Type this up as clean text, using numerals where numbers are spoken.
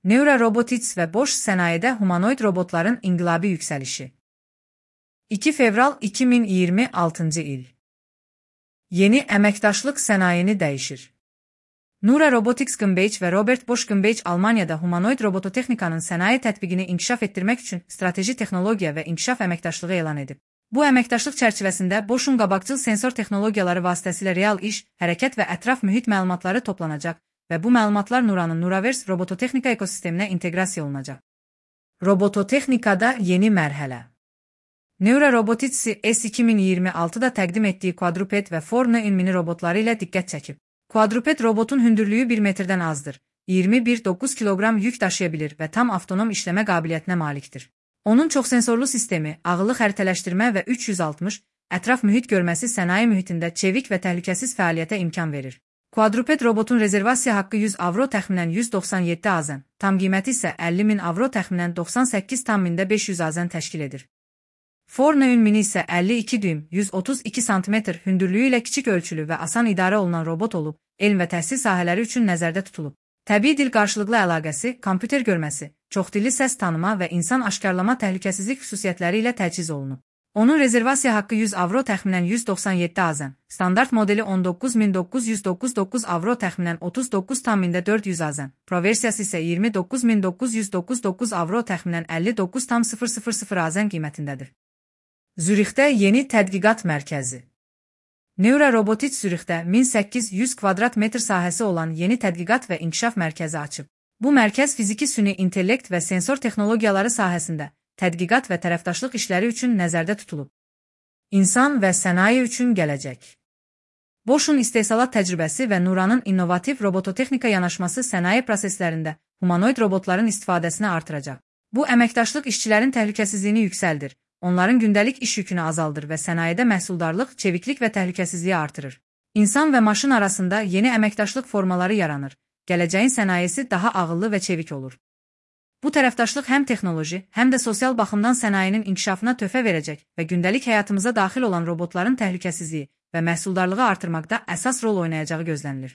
Neura Robotics və Bosch sənayedə humanoid robotların inqilabi yüksəlişi. 2 fevral 2026 il. Yeni əməkdaşlıq sənayeni dəyişir. Neura Robotics GmbH və Robert Bosch GmbH Almaniyada humanoid robototexnikanın sənaye tətbiqini inkişaf etdirmək üçün strateji texnologiya və inkişaf əməkdaşlığı elan edib. Bu əməkdaşlıq çərçivəsində Bosch'un qabaqcıl sensor texnologiyaları vasitəsilə real iş, hərəkət və ətraf mühit məlumatları toplanacaq və bu məlumatlar Neuranın Neuraverse robototexnika ekosisteminə inteqrasiya olunacaq. Robototexnikada yeni mərhələ. Neura Robotics S2026-da təqdim etdiyi quadruped və 4 mini robotları ilə diqqət çəkib. Quadruped robotun hündürlüyü 1 metrdən azdır, 21,9 kiloqram yük daşıya bilir və tam avtonom işləmə qabiliyyətinə malikdir. Onun çoxsensorlu sistemi, ağıllı xəritələşdirmə və 360 ətraf mühit görməsi sənaye mühitində çevik və təhlükəsiz fəaliyyətə imkan verir. Quadruped robotun rezervasiya haqqı 100 avro təxminən 197 AZN, tam qiyməti isə 50.000 avro təxminən 98.500 AZN təşkil edir. 4 mini isə 52 düym, 132 sm hündürlüyü ilə kiçik ölçülü və asan idarə olunan robot olub, elm və təhsil sahələri üçün nəzərdə tutulub. Təbii dil qarşılıqlı əlaqəsi, kompüter görməsi, çoxdilli səs tanıma və insan aşkarlama təhlükəsizlik xüsusiyyətləri ilə təchiz olunub. Onun rezervasiya haqqı 100 avro təxminən 197 AZN, standart modeli 19.999 avro təxminən 39.400 AZN, Pro versiyası isə 29.999 avro təxminən 59.000 AZN qiymətindədir. Zürixdə yeni tədqiqat mərkəzi. Neura Robotics Zürixdə 1800 kvadrat metr sahəsi olan yeni tədqiqat və inkişaf mərkəzi açıb. Bu mərkəz fiziki süni intellekt və sensor texnologiyaları sahəsində tədqiqat və tərəfdaşlıq işləri üçün nəzərdə tutulub. İnsan və sənaye üçün gələcək. Bosch'un istehsalat təcrübəsi və Neuranın innovativ robototexnika yanaşması sənaye proseslərində humanoid robotların istifadəsini artıracaq. Bu əməkdaşlıq işçilərin təhlükəsizliyini yüksəldir, onların gündəlik iş yükünü azaldır və sənayedə məhsuldarlıq, çeviklik və təhlükəsizliyi artırır. İnsan və maşın arasında yeni əməkdaşlıq formaları yaranır. Gələcəyin sənayesi daha ağıllı və çevik olur. Bu tərəfdaşlıq həm texnoloji, həm də sosial baxımdan sənayenin inkişafına töhfə verəcək və gündəlik həyatımıza daxil olan robotların təhlükəsizliyi və məhsuldarlığı artırmaqda əsas rol oynayacağı gözlənilir.